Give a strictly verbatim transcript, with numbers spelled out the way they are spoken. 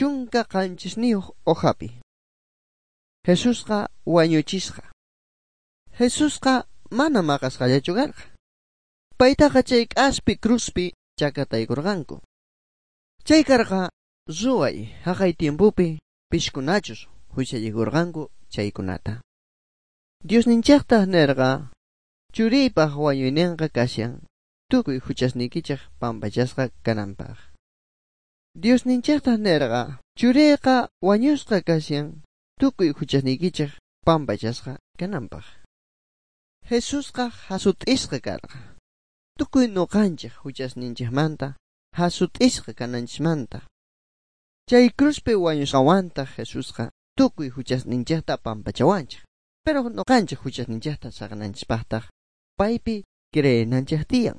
Chunka qanchisniyuq hojapi. Jesusqa wañuchisqa. Jesusqa mana maqasqallachu karqa. Paytaqa chay k'aspi cruzpi chakataykurqanku. Chay karqa ruway haqay tiempopi pishkunachus huchallikurqanku chaykunata. Diosninchiktaq nirqa churiypaq wañuyninqa kashan tukuy huchasniykichik pampachasqa kananpaq. Diosninchiktaq nirqa churiyqa wañusqa kashan tukuy huchasniykichik pampachasqa kananpaq. Jesusqa hasut'isqa karqa. Tukuy nuqanchik huchasninchikmanta hasut'isqa kananchismanta. Chay cruzpi wañusqawantaq Jesusqa tukuy huchasninchikta pampachawanchik. Pero nuqanchik huchasninchikta saqananchispaqtaq paypi creenanchik tiyan.